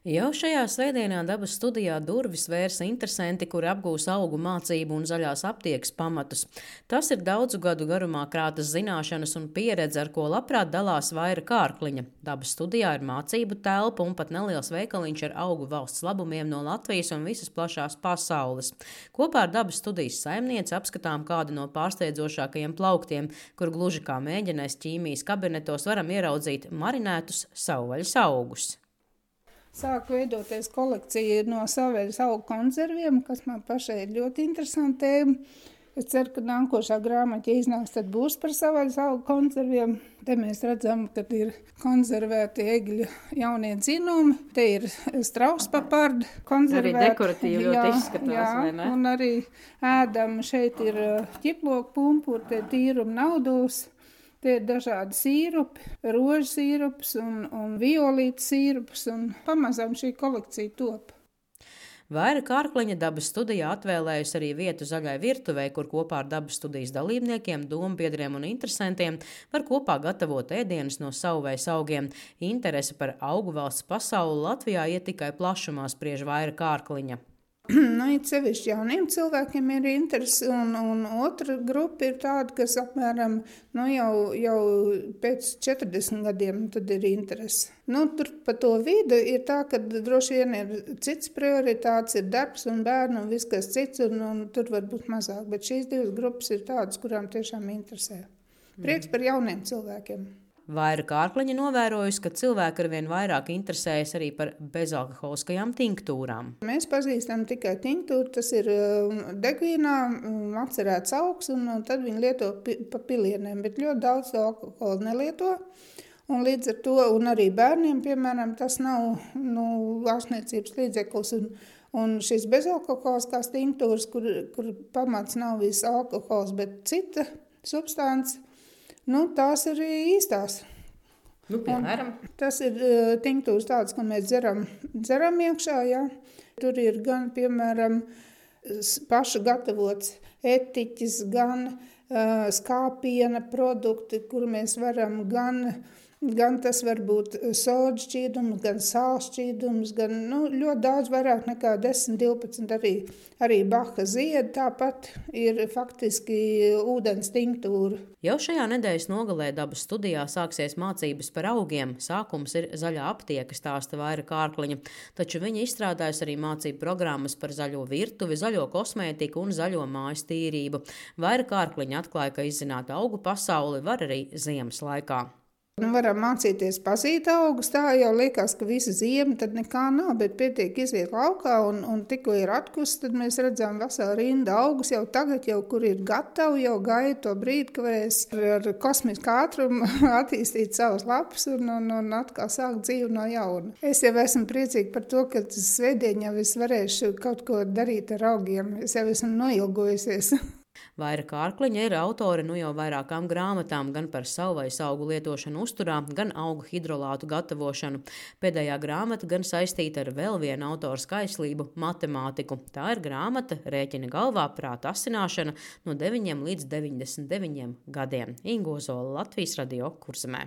Jau šajā svētdienā dabas studijā durvis vērsa interesanti, kuri apgūs augu mācību un zaļās aptiekas pamatus. Tas ir daudzu gadu garumā krātas zināšanas un pieredze, ar ko labprāt dalās Vaira Kārkliņa. Dabas studijā ir mācību telpa un pat neliels veikaliņš ar augu valsts labumiem no Latvijas un visas plašās pasaules. Kopā ar dabas studijas saimnieci apskatām kādu no pārsteidzošākajiem plauktiem, kur gluži kā mēģinēs ķīmijas kabinetos varam ieraudzīt marinētus savvaļas augus. Sāk veidoties kolekcija no savvaļas augu konserviem, kas man pašai ir ļoti interesanti tēma. Es ceru, ka nākošā grāmata, ja iznāks, tad būs par savvaļas augu konserviem. Te mēs redzam, ka ir konservēti egļu jaunie dzinumi. Te ir strauspapardi konservēti. Arī dekoratīvi ļoti izskatās, vai ne? Un arī ēdam šeit ir ķiploku pumpuri, te tīruma naudos. Tie ir dažādi sīrupi, rožu sīrups un violīta sīrups, un pamazām šī kolekcija top. Vaira Kārkliņa dabas studijā atvēlējusi arī vietu zaļai virtuvei, kur kopā ar dabas studijas dalībniekiem, dombiedriem un interesantiem var kopā gatavot ēdienus no savvaļas augiem. Interese par augu valsts pasauli Latvijā iet tikai plašumā, spriež Vaira Kārkliņa. It sevišķi jauniem cilvēkiem ir interesi, un otra grupa ir tāda, kas apmēram jau pēc 40 gadiem tad ir interesi. Tur pa to vidu ir tā, ka droši vien ir cits prioritāts, ir darbs un bērni un viss kas cits, un tur var būt mazāk. Bet šīs divas grupas ir tādas, kurām tiešām interesē. Prieks par jauniem cilvēkiem. Vaira Kārkliņa novērojusi, ka cilvēki arvien vairāk interesējas arī par bezalkoholiskajām tinktūrām. Mēs pazīstam tikai tinktūru, tas ir degvīnā atcerēts augs, un tad viņi lieto pa pilieniem, bet ļoti daudz alkoholu nelieto. Un līdz ar to, un arī bērniem, piemēram, tas nav ārstniecības līdzeklis, un šis bezalkoholiskās tinktūras, kur pamats nav viss alkohols, bet cita substance, tās ir īstās. Piemēram? Tas ir tinktūras tādas, ko mēs dzeram iekšā, jā. Tur ir gan, piemēram, pašu gatavots etiķis, gan skāpiena produkti, kur mēs varam gan tas var būt soda šķīdums, gan sāls šķīdums, gan ļoti daudz vairāk nekā 10-12 arī baha ziedi, tāpat ir faktiski ūdens tinktūra. Jau šajā nedēļas nogalē dabas studijā sāksies mācības par augiem. Sākums ir zaļā aptieka, stāsta Vaira Kārkliņa, taču viņa izstrādājusi arī mācību programmas par zaļo virtuvi, zaļo kosmētiku un zaļo mājas tīrību. Vaira Kārkliņa atklāja, ka izzināt augu pasauli var arī ziemas laikā. Varam mācīties pazīt augus, tā jau liekas, ka visa ziema tad nekā nav, bet pietiek iziet laukā un tikko ir atkusts, tad mēs redzam veselu rindu augus jau tagad, kur ir gatavi, jau gaida to brīdi, ka varēs ar kosmisku ātrumu attīstīt savas lapas un atkal sākt dzīvi no jauna. Es jau esmu priecīga par to, ka svētdien jau es varēšu kaut ko darīt ar augiem, es jau esmu noilgojusies. Vaira Kārkliņa ir autore jau vairākām grāmatām gan par savvaļas augu lietošanu uzturā, gan augu hidrolātu gatavošanu. Pēdējā grāmata gan saistīta ar vēl vienu autoru skaislību – matemātiku. Tā ir grāmata Rēķina galvā prāta asināšana no 9 līdz 99 gadiem. Inga Ozola, Latvijas Radio, Kurzemē.